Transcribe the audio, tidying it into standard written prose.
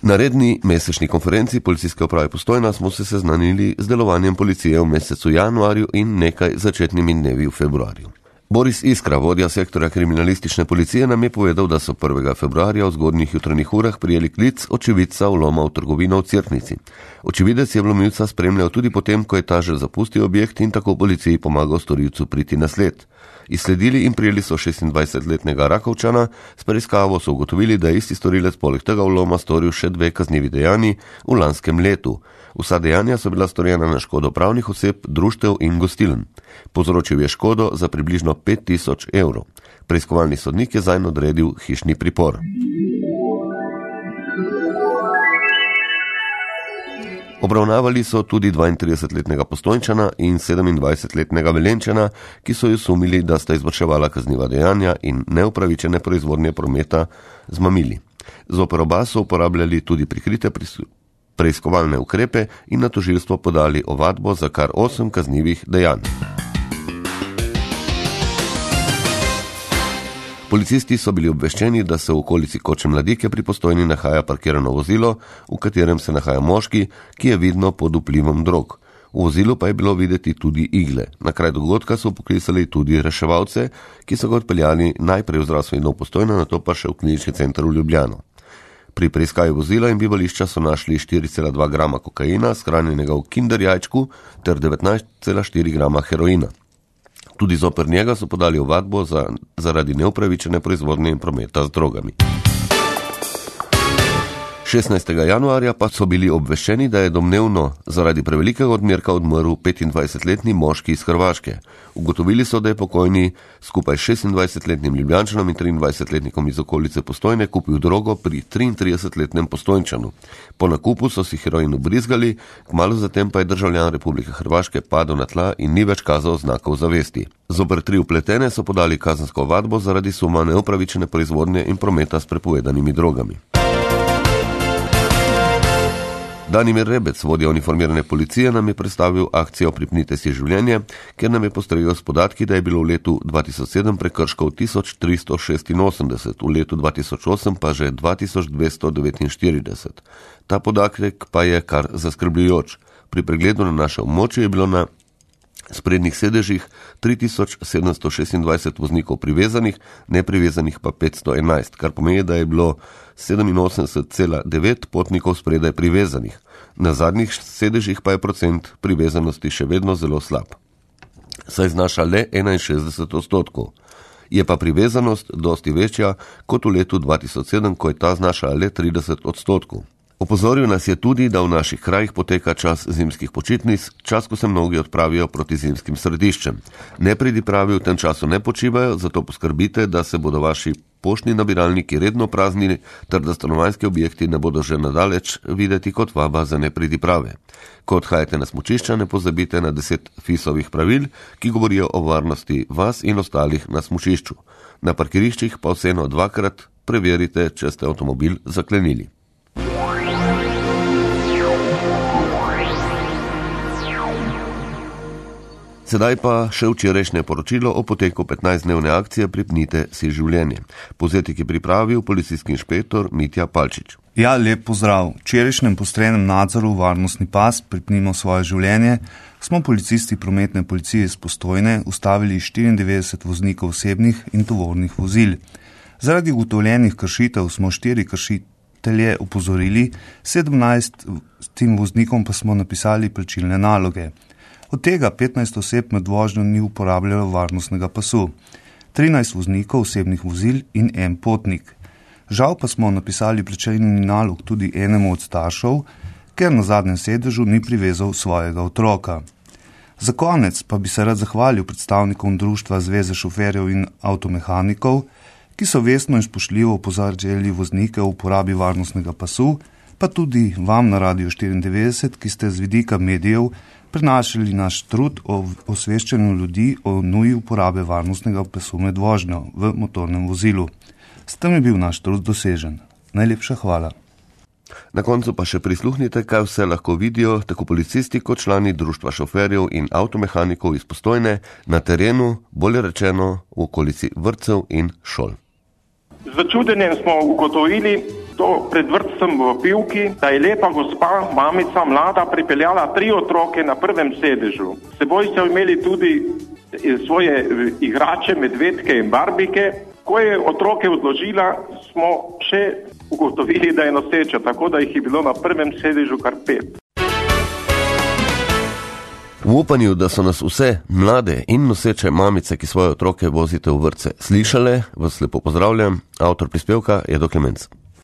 Na redni mesečni konferenci Policijske uprave Postojna smo se seznanili z delovanjem policije v mesecu januarju in nekaj začetnimi dnevi v februarju. Boris Iskra, vodja sektorja kriminalistične policije, nam je povedal, da so 1. februarja v zgodnjih jutranjih urah prijeli klic očividca vloma v trgovino v Cerknici. Očividec je vlomilca spremljal tudi potem, ko je ta že zapustil objekt in tako policiji pomagal storilcu priti na sled. Izsledili in prijeli so 26-letnega Rakovčana, s preiskavo so ugotovili, da je isti storilec poleg tega vloma storil še 2 kaznivi dejanji v lanskem letu. Vsa dejanja so bila storjena na škodo pravnih oseb, društev in gostiln. Povzročil je škodo za približno 5000 evrov. Preiskovalni sodnik je zanj odredil hišni pripor. Obravnavali so tudi 32-letnega Postojnčana in 27-letnega Velenčana, ki so ju sumili, da sta izvrševala kazniva dejanja in neupravičene proizvodnje prometa z mamili. Zoper oba so uporabljali tudi prikrite preiskovalne ukrepe in na tožilstvo podali ovadbo za kar 8 kaznivih dejanj. Policisti so bili obveščeni, da se v okolici Koče Mladike pri Postojni nahaja parkirano vozilo, v katerem se nahaja moški, ki je vidno pod vplivom drog. V vozilu pa je bilo videti tudi igle. Na kraj dogodka so poklicali tudi reševalce, ki so ga odpeljali najprej v zdravstveni dom Postojna, nato pa še v klinični center v Ljubljano. Pri preiskavi vozila in bivališča so našli 4,2 grama kokaina, shranjenega v kinder jajčku, ter 19,4 grama heroina. Tudi zoper njega so podali ovadbo zaradi neupravičene proizvodnje in prometa z drogami. 16. januarja pa so bili obveščeni, da je domnevno zaradi prevelikega odmerka odmrl 25-letni moški iz Hrvaške. Ugotovili so, da je pokojni skupaj 26-letnim Ljubljančanom in 23-letnikom iz okolice Postojne kupil drogo pri 33-letnem Postojnčanu. Po nakupu so si heroin ubrizgali, kmalu zatem pa je državljan Republike Hrvaške padel na tla in ni več kazal znakov zavesti. Zoper 3 vpletene so podali kazensko ovadbo zaradi suma neupravičene proizvodnje in prometa s prepovedanimi drogami. Danimir Rebec, vodja uniformirane policije, nam je predstavil akcijo Pripnite si življenje, kjer nam je postregel s podatki, da je bilo v letu 2007 prekrškov 1386, v letu 2008 pa že 2249. Ta podatek pa je kar zaskrbljujoč. Pri pregledu na naše območje je bilo na sprednjih sedežih 3726 voznikov privezanih, neprivezanih pa 511, kar pomeni, da je bilo 87,9 potnikov spredaj privezanih. Na zadnjih sedežih pa je procent privezanosti še vedno zelo slab. Saj znaša le 61%. Je pa privezanost dosti večja kot v letu 2007, ko je ta znašala le 30%. Opozoril nas je tudi, da v naših krajih poteka čas zimskih počitnic, čas, ko se mnogi odpravijo proti zimskim središčem. Nepridipravi v tem času ne počivajo, zato poskrbite, da se bodo vaši poštni nabiralniki redno praznili, ter da stanovanjski objekti ne bodo že nadaleč videti kot vaba za nepridiprave. Ko odhajate na smučišča, ne pozabite na 10 FIS-ovih pravil, ki govorijo o varnosti vas in ostalih na smučišču. Na parkiriščih pa vseeno 2-krat preverite, če ste avtomobil zaklenili. Sedaj pa še včerajšnje poročilo o poteku 15-dnevne akcije Pripnite si življenje. Povzetek je pripravil policijski inšpektor Mitja Palčič. Ja, lep pozdrav. V včerajšnjem postrenem nadzoru varnostni pas Pripnimo svoje življenje smo policisti prometne policije iz Postojne ustavili 94 voznikov osebnih in tovornih vozil. Zaradi ugotovljenih kršitev smo 4 kršitelje opozorili, 17 tem voznikom pa smo napisali plačilne naloge. Od tega 15 oseb med vožnjo ni uporabljalo varnostnega pasu, 13 voznikov osebnih vozil in 1 potnik. Žal pa smo napisali plačilni nalog tudi enemu od staršev, ker na zadnjem sedežu ni privezal svojega otroka. Za konec pa bi se rad zahvalil predstavnikom društva Zveze šoferjev in avtomehanikov, ki so vestno in spoštljivo opozarjali voznike o uporabi varnostnega pasu, pa tudi vam na Radiu 94, ki ste z vidika medijev prenašali naš trud o osveščanju ljudi o nuji uporabe varnostnega pasu med vožnjo v motornem vozilu. S tem je bil naš trud dosežen. Najlepša hvala. Na koncu pa še prisluhnite, kaj vse lahko vidijo tako policisti kot člani društva šoferjev in avtomehanikov iz Postojne na terenu, bolje rečeno v okolici vrtcev in šol. Z začudenjem smo ugotovili to pred vrtcem v Pivki, da je lepa gospa, mamica, mlada, pripeljala 3 otroke na prvem sedežu. S seboj so imeli tudi svoje igrače, medvedke in barbike. Ko je otroke odložila, smo še ugotovili, da je noseča, tako da jih je bilo na prvem sedežu kar 5. V upanju, da so nas vse mlade in noseče mamice, ki svoje otroke vozite v vrtce, slišale, vas lepo pozdravljam. Avtor prispevka je Edo Klemenc.